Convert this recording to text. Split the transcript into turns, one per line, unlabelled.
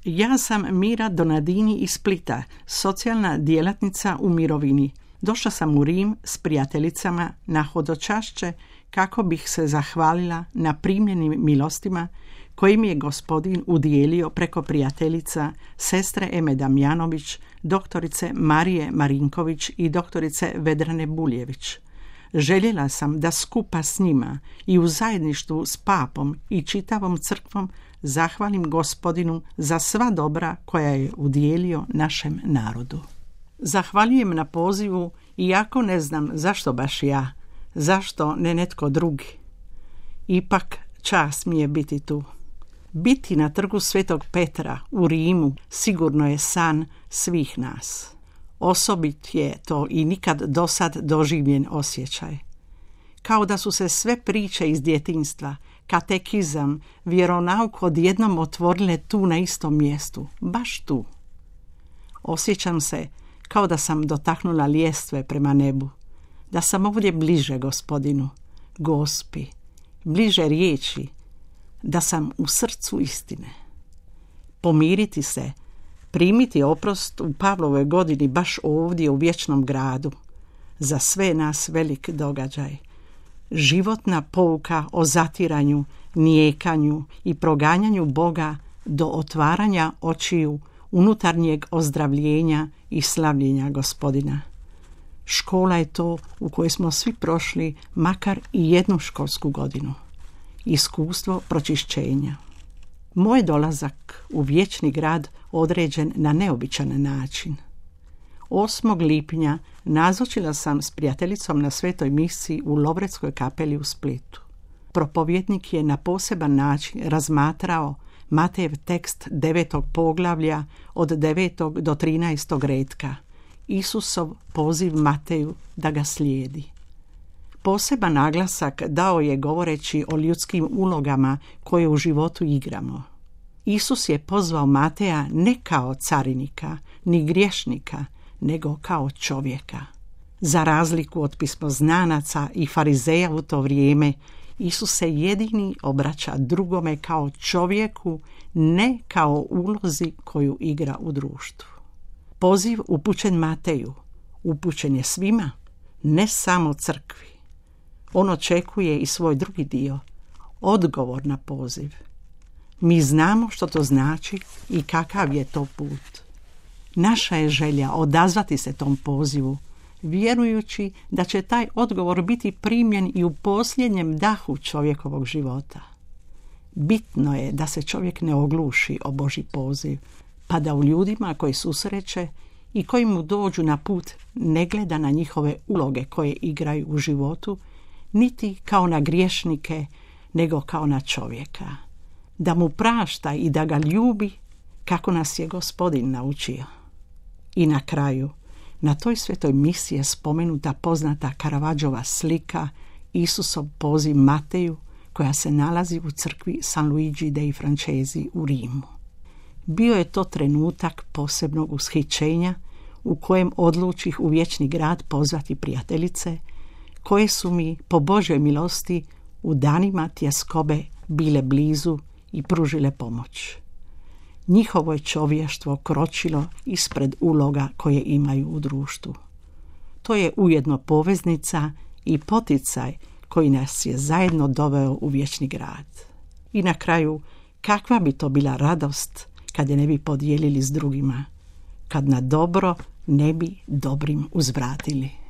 Ja sam Mira Donadini iz Splita, socijalna djelatnica u mirovini. Došla sam u Rim s prijateljicama na hodočašće kako bih se zahvalila na primljenim milostima koji mi je Gospodin udijelio preko prijateljica sestre Eme Damjanović, doktorice Marije Marinković i doktorice Vedrane Buljević. Željela sam da skupa s njima i u zajedništvu s papom i čitavom crkvom zahvalim Gospodinu za sva dobra koja je udijelio našem narodu. Zahvaljujem na pozivu, iako ne znam zašto baš ja, zašto ne netko drugi. Ipak čast mi je biti tu. Biti na trgu Svetog Petra u Rimu sigurno je san svih nas. Osobit je to i nikad dosad doživljen osjećaj. Kao da su se sve priče iz djetinjstva, katekizam, vjeronauk odjednom otvorile tu na istom mjestu, baš tu. Osjećam se kao da sam dotaknula ljestve prema nebu, da sam ovdje bliže Gospodinu, Gospi, bliže riječi, da sam u srcu istine. Pomiriti se, primiti oprost u Pavlovoj godini baš ovdje u vječnom gradu, za sve nas velik događaj. Životna pouka o zatiranju, nijekanju i proganjanju Boga do otvaranja očiju, unutarnjeg ozdravljenja i slavljenja Gospodina. Škola je to u kojoj smo svi prošli makar i jednu školsku godinu. Iskustvo pročišćenja. Moj dolazak u vječni grad određen na neobičan način. 8. lipnja nazočila sam s prijateljicom na svetoj misiji u Lovretskoj kapeli u Splitu. Propovjednik je na poseban način razmatrao Matejev tekst 9. poglavlja od 9. do 13. retka, Isusov poziv Mateju da ga slijedi. Poseban naglasak dao je govoreći o ljudskim ulogama koje u životu igramo. Isus je pozvao Mateja ne kao carinika, ni griješnika, nego kao čovjeka. Za razliku od pismoznanaca i farizeja u to vrijeme, Isus se jedini obraća drugome kao čovjeku, ne kao ulozi koju igra u društvu. Poziv upućen Mateju, upućen je svima, ne samo crkvi. On očekuje i svoj drugi dio, odgovor na poziv. Mi znamo što to znači i kakav je to put. Naša je želja odazvati se tom pozivu, vjerujući da će taj odgovor biti primljen i u posljednjem dahu čovjekovog života. Bitno je da se čovjek ne ogluši o Božji poziv, pa da u ljudima koji susreće i koji mu dođu na put ne gleda na njihove uloge koje igraju u životu, niti kao na griješnike, nego kao na čovjeka. Da mu prašta i da ga ljubi kako nas je Gospodin naučio. I na kraju, na toj svetoj misiji je spomenuta poznata Caravaggiova slika Isusov poziv Mateju koja se nalazi u crkvi San Luigi dei Francesi u Rimu. Bio je to trenutak posebnog ushićenja u kojem odlučih u vječni grad pozvati prijateljice koje su mi po Božjoj milosti u danima tjeskobe bile blizu i pružile pomoć. Njihovo je čovještvo kročilo ispred uloga koje imaju u društvu. To je ujedno poveznica i poticaj koji nas je zajedno doveo u vječni grad. I na kraju, kakva bi to bila radost kad je ne bi podijelili s drugima, kad na dobro ne bi dobrim uzvratili.